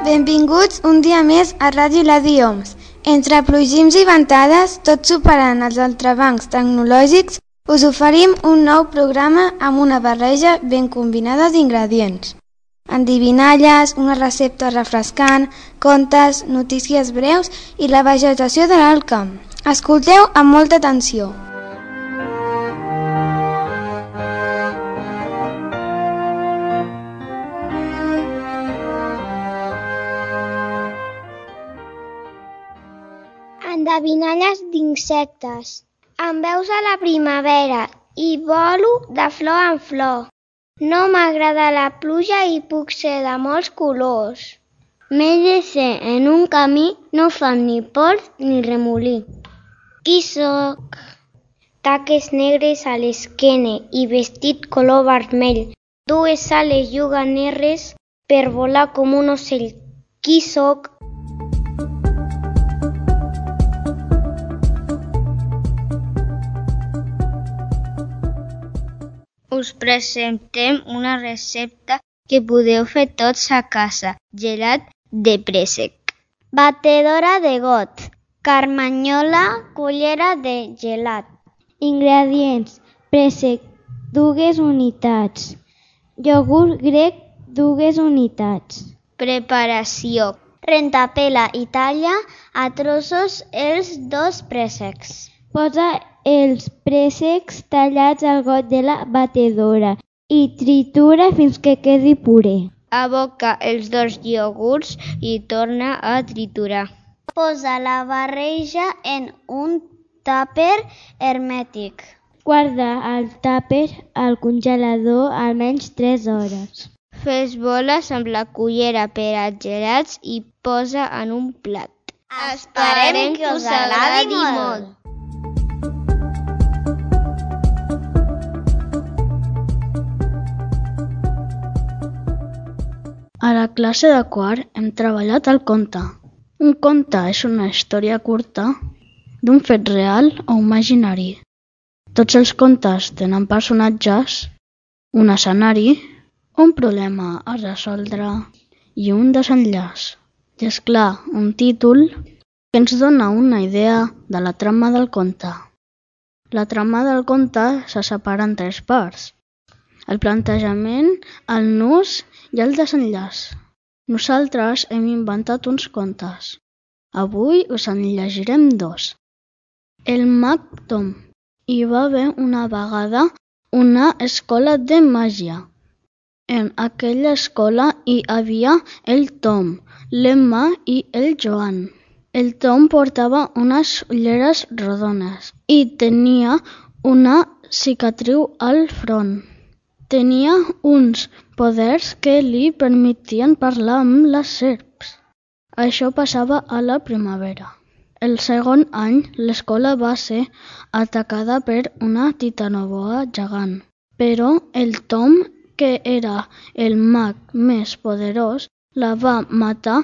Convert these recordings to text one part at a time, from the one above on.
Benvinguts un dia més a Ràdio La Dioms. Entre plogims i ventades, tot superant els entrebancs tecnològics, us oferim un nou programa amb una barreja ben combinada d'ingredients. Endivinalles, una recepta refrescant, contes, notícies breus i la vegetació de l'alt camp. Escolteu amb molta atenció. Endevinalles d'insectes. Em veus a la primavera i volo de flor en flor. No m'agrada la pluja i puc ser de molts colors. M'he de ser en un camí, no fan ni pols ni remolí. Qui sóc? Taques negres a l'esquena i vestit color vermell. Dues ales lluganeres per volar com un ocell. Qui sóc? Us presentem una recepta que podeu fer tots a casa. Gelat de préssec. Batedora de got. Carmanyola, cullera de gelat. Ingredients: préssec, 2 unitats. Iogurt grec, 2 unitats. Preparació: rentapela i talla a trossos els 2 préssecs. Posa els préssecs tallats al got de la batedora i tritura fins que quedi puré. Aboca els 2 iogurts i torna a triturar. Posa la barreja en un tàper hermètic. Guarda el tàper al congelador almenys 3 hores. Fes boles amb la cullera per a gelats i posa en un plat. Esperem que us agradi molt. A la classe de quart hem treballat el conte. Un conte és una història curta d'un fet real o imaginari. Tots els contes tenen personatges, un escenari, un problema a resoldre i un desenllaç. I és clar, un títol que ens dona una idea de la trama del conte. La trama del conte se separa en 3 parts: el plantejament, el nus i el desenllaç. Nosaltres hem inventat uns contes. Avui us en llegirem 2. El mag Tom. Hi va haver una vegada una escola de màgia. En aquella escola hi havia el Tom, l'Emma i el Joan. El Tom portava unes ulleres rodones i tenia una cicatriu al front. Tenia uns poders que li permetien parlar amb les serps. Això passava a la primavera. El segon any, l'escola va ser atacada per una titanoboa gegant. Però el Tom, que era el mag més poderós, la va matar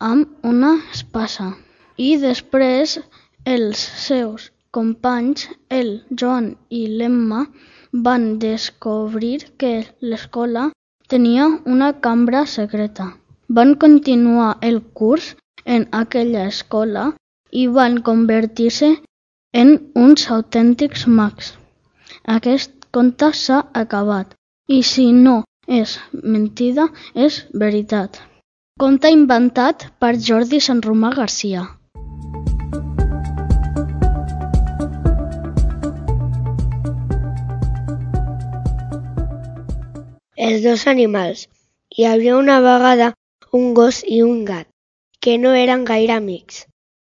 amb una espasa. I després els seus companys, el Joan i l'Emma, van descobrir que l'escola tenia una cambra secreta. Van continuar el curs en aquella escola i van convertir-se en uns autèntics mags. Aquest conte s'ha acabat i si no és mentida, és veritat. Conte inventat per Jordi Sanromà Garcia. Els 2 animals. Hi havia una vegada un gos i un gat, que no eren gaire amics.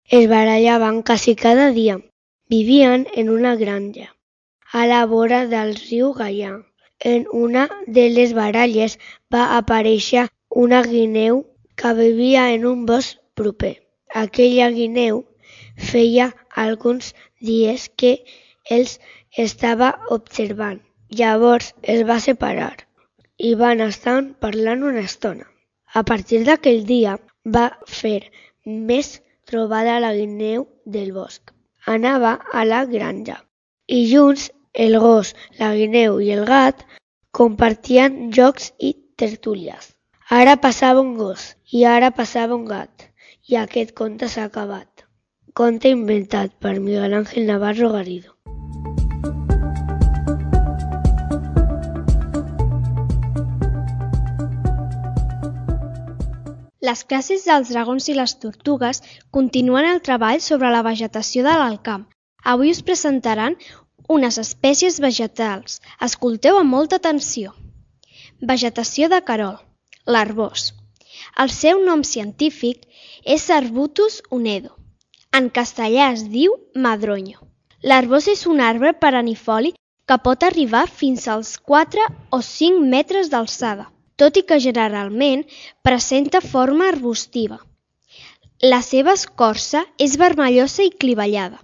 Es barallaven quasi cada dia. Vivien en una granja, a la vora del riu Gaià. En una de les baralles va aparèixer una guineu que vivia en un bosc proper. Aquella guineu feia alguns dies que els estava observant. Llavors es va separar i van estar parlant una estona. A partir d'aquell dia va fer més trobada la guineu del bosc. Anava a la granja i junts el gos, la guineu i el gat compartien jocs i tertúlies. Ara passava un gos i ara passava un gat i aquest conte s'ha acabat. Conte inventat per Miguel Ángel Navarro Garrido. Les classes dels dragons i les tortugues continuen el treball sobre la vegetació de l'Alt Camp. Avui us presentaran unes espècies vegetals. Escolteu amb molta atenció. Vegetació de Querol, l'arbós. El seu nom científic és Arbutus unedo. En castellà es diu madroño. L'arbós és un arbre perennifoli que pot arribar fins als 4 o 5 metres d'alçada, tot i que generalment presenta forma arbustiva. La seva escorça és vermellosa i clivellada.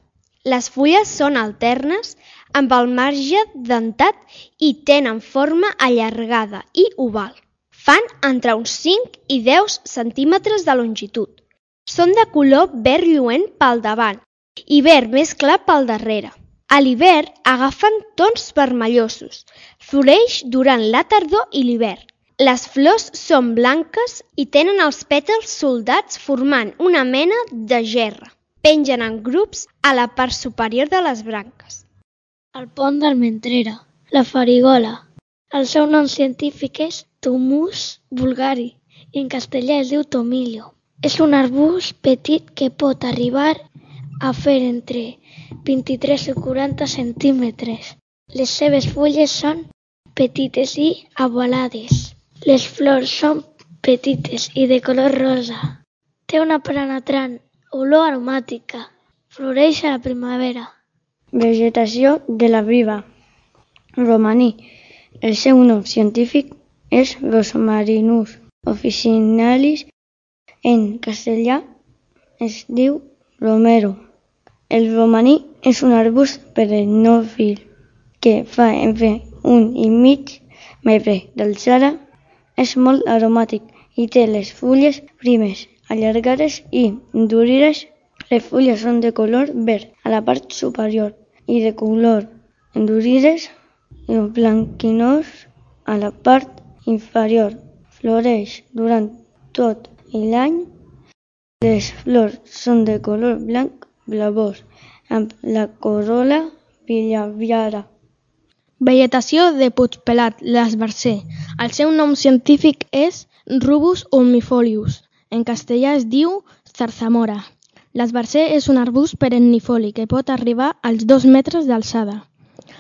Les fulles són alternes, amb el marge dentat i tenen forma allargada i oval. Fan entre uns 5 i 10 centímetres de longitud. Són de color verd lluent pel davant i verd més clar pel darrere. A l'hivern agafen tons vermellosos. Floreix durant la tardor i l'hivern. Les flors són blanques i tenen els pètals soldats formant una mena de gerra. Pengen en grups a la part superior de les branques. El pont d'Almentrera, la farigola. El seu nom científic és Thomus vulgari i en castellà es diu tomillo. És un arbust petit que pot arribar a fer entre 23 i 40 centímetres. Les seves fulles són petites i ovalades. Les flors són petites i de color rosa. Té una penetrant olor aromàtica. Floreix a la primavera. Vegetació de la briva. Romaní. El seu nom científic és Rosmarinus officinalis. En castellà es diu romero. El romaní és un arbust perennifoli que fa entre 1,5 metre d'alçada. És molt aromàtic i té les fulles primes, allargades i endurides. Les fulles són de color verd a la part superior i de color endurides i blanquinós a la part inferior. Floreix durant tot l'any. Les flors són de color blanc blavós amb la corol·la bilabiada. Vegetació de Puigpelat, l'esbarzer. El seu nom científic és Rubus ulmifolius. En castellà es diu zarzamora. L'esbarzer és un arbust perennifoli que pot arribar als 2 metres d'alçada.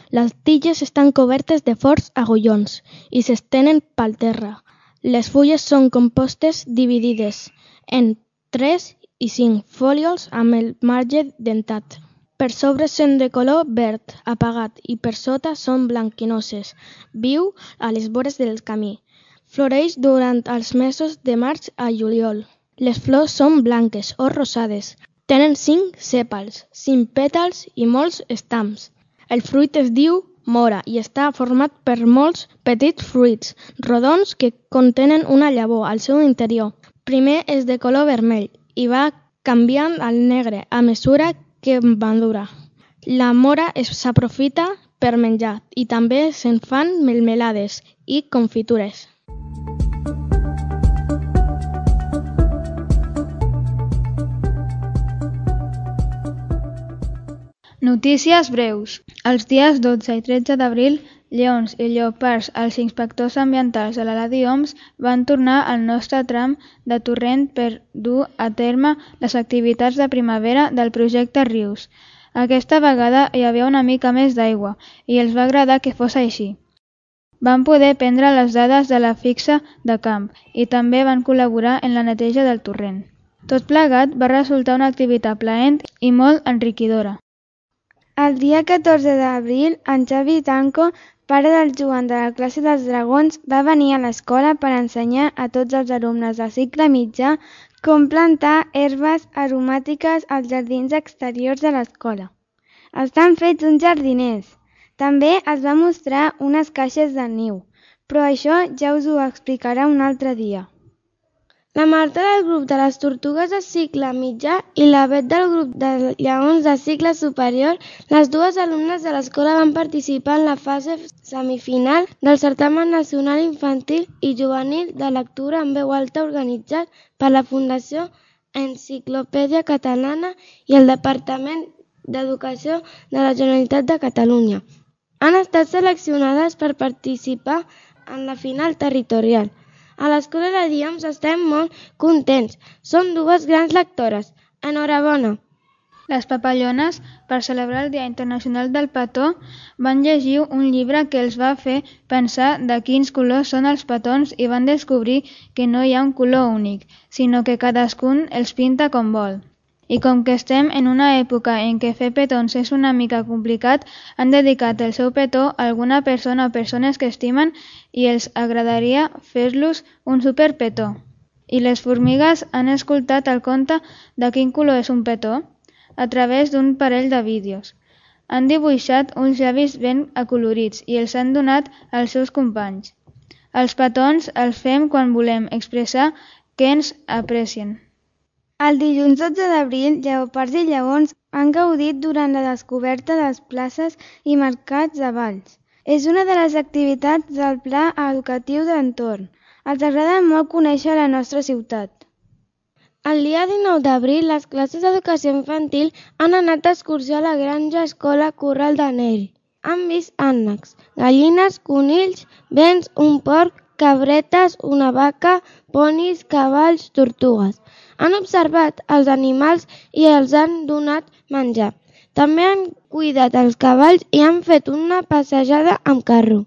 Les tiges estan cobertes de forts agullons i s'estenen pel terra. Les fulles són compostes dividides en 3 i 5 folíols amb el marge dentat. Per sobre són de color verd apagat i per sota són blanquinoses, viu a les vores del camí. Floreix durant els mesos de març a juliol. Les flors són blanques o rosades. Tenen 5 sèpals, 5 pètals i molts estams. El fruit es diu mora i està format per molts petits fruits rodons que contenen una llavor al seu interior. Primer és de color vermell i va canviant al negre a mesura que madura. La mora s'aprofita per menjar i també se'n fan melmelades i confitures. Notícies breus. Els dies 12 i 13 d'abril, lleons i lleopards, els inspectors ambientals de l'Eladi Oms, van tornar al nostre tram de torrent per dur a terme les activitats de primavera del projecte Rius. Aquesta vegada hi havia una mica més d'aigua i els va agradar que fos així. Van poder prendre les dades de la fixa de camp i també van col·laborar en la neteja del torrent. Tot plegat va resultar una activitat plaent i molt enriquidora. El dia 14 d'abril, en Xavi Tanco, pare del Joan de la classe dels dragons, va venir a l'escola per ensenyar a tots els alumnes de cicle mitjà com plantar herbes aromàtiques als jardins exteriors de l'escola. Estan fets uns jardiners. També es va mostrar unes caixes de niu, però això ja us ho explicarà un altre dia. La Marta del grup de les tortugues de cicle mitjà i la Bet del grup de lleons de cicle superior, les dues alumnes de l'escola van participar en la fase semifinal del certamen nacional infantil i juvenil de lectura en veu alta organitzat per la Fundació Enciclopèdia Catalana i el Departament d'Educació de la Generalitat de Catalunya. Han estat seleccionades per participar en la final territorial. A l'Escola Ladioms estem molt contents. Són dues grans lectores. Enhorabona! Les papallones, per celebrar el Dia Internacional del Petó, van llegir un llibre que els va fer pensar de quins colors són els petons i van descobrir que no hi ha un color únic, sinó que cadascun els pinta com vol. I com que estem en una època en què fer petons és una mica complicat, han dedicat el seu petó a alguna persona o persones que estimen i els agradaria fer-los un superpetó. I les formigues han escoltat el conte de quin color és un petó a través d'un parell de vídeos. Han dibuixat uns llavis ben acolorits i els han donat als seus companys. Els petons els fem quan volem expressar que ens aprecien. El dilluns 12 d'abril, lleopards i lleons han gaudit durant la descoberta de les places i mercats de Valls. És una de les activitats del pla educatiu de l'entorn. Els agrada molt conèixer la nostra ciutat. El dia 19 d'abril, les classes d'educació infantil han anat d'excursió a la granja escola Corral de Neri. Han vist ànecs, gallines, conills, bens, un porc, cabretes, una vaca, ponis, cavalls, tortugues. Han observat els animals i els han donat menjar. També han cuidat els cavalls i han fet una passejada amb carro.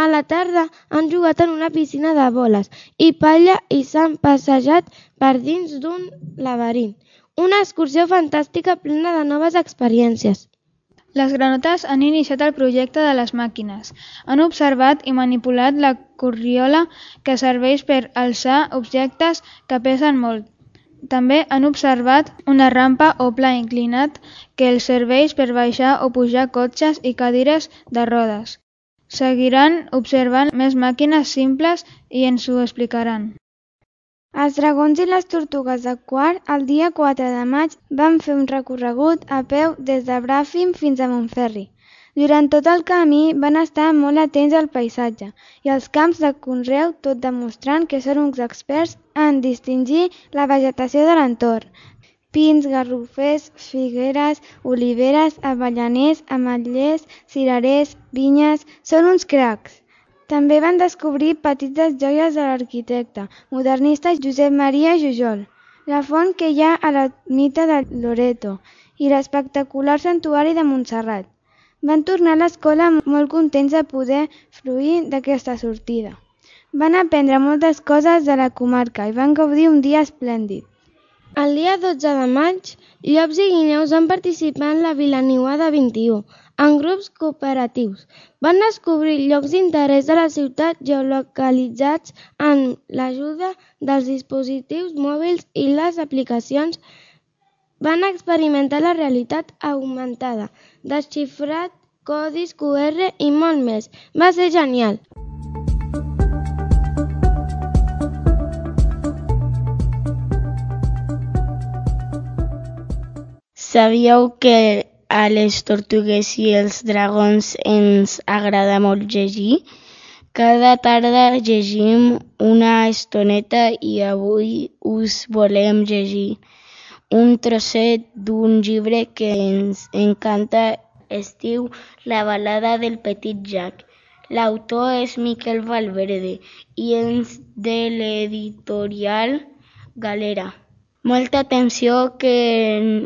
A la tarda han jugat en una piscina de boles i palla i s'han passejat per dins d'un laberint. Una excursió fantàstica plena de noves experiències. Les granotes han iniciat el projecte de les màquines. Han observat i manipulat la corriola que serveix per alçar objectes que pesen molt. També han observat una rampa o pla inclinat que els serveix per baixar o pujar cotxes i cadires de rodes. Seguiran observant més màquines simples i ens ho explicaran. Els dragons i les tortugues de Quart, el dia 4 de maig, van fer un recorregut a peu des de Bràfim fins a Montferri. Durant tot el camí van estar molt atents al paisatge i als camps de conreu, tot demostrant que són uns experts en distingir la vegetació de l'entorn. Pins, garrofers, figueres, oliveres, avellaners, ametllers, cirerers, vinyes... Són uns cracs. També van descobrir petites joies de l'arquitecte modernista Josep Maria Jujol, la font que hi ha a l'ermita de Loreto i l'espectacular santuari de Montserrat. Van tornar a l'escola molt contents de poder fruir d'aquesta sortida. Van aprendre moltes coses de la comarca i van gaudir un dia esplèndid. El dia 12 de maig, llops i guineus van participar en la Vilaniuada 21, en grups cooperatius. Van descobrir llocs d'interès de la ciutat geolocalitzats amb l'ajuda dels dispositius mòbils i les aplicacions. Van experimentar la realitat augmentada, desxifrat codis QR i molt més. Va ser genial! Sabíeu que a les tortugues i els dragons ens agrada molt llegir? Cada tarda llegim una estoneta i avui us volem llegir un trosset d'un llibre que ens encanta. Es diu La balada del petit Jack. L'autor és Miquel Valverde i és de l'editorial Galera. Molta atenció que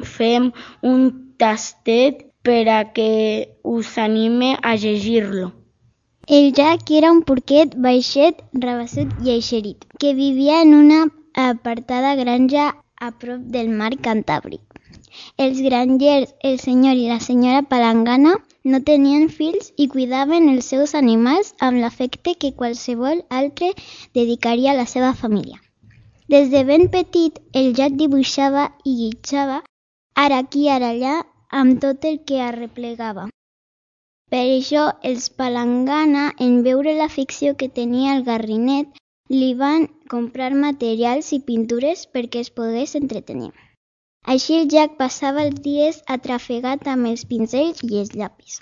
fem un tastet per a que us anime a llegir-lo. El Jack era un porquet baixet, rabassut i eixerit, que vivia en una apartada granja a prop del mar Cantàbric. Els grangers, el senyor i la senyora Palangana, no tenien fills i cuidaven els seus animals amb l'afecte que qualsevol altre dedicaria a la seva família. Des de ben petit, el Jack dibuixava i guitjava, ara aquí, ara allà, amb tot el que arreplegava. Per això, els Palangana, en veure l'afició que tenia el garrinet, li van comprar materials i pintures perquè es pogués entretenir. Així el Jack passava els dies atrafegat amb els pincells i els llapis.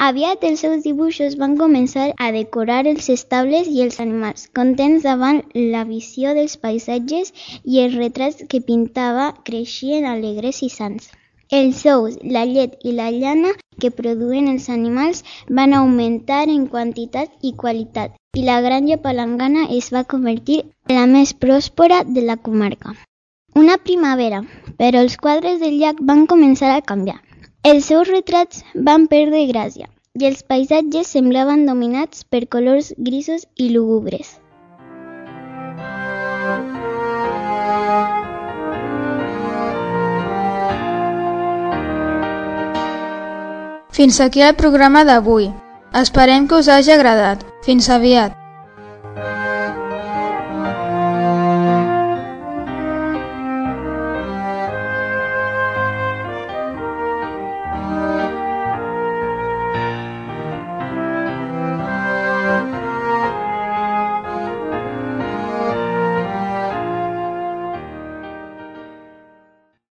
Aviat els seus dibuixos van començar a decorar els estables i els animals, contents davant la visió dels paisatges i els retrats que pintava creixien alegres i sans. Els ous, la llet i la llana que produïen els animals van augmentar en quantitat i qualitat i la granja palangana es va convertir en la més pròspera de la comarca. Una primavera, però els quadres del Jack van començar a canviar. Els seus retrats van perdre gràcia i els paisatges semblaven dominats per colors grisos i lúgubres. Fins aquí el programa d'avui. Esperem que us hagi agradat. Fins aviat.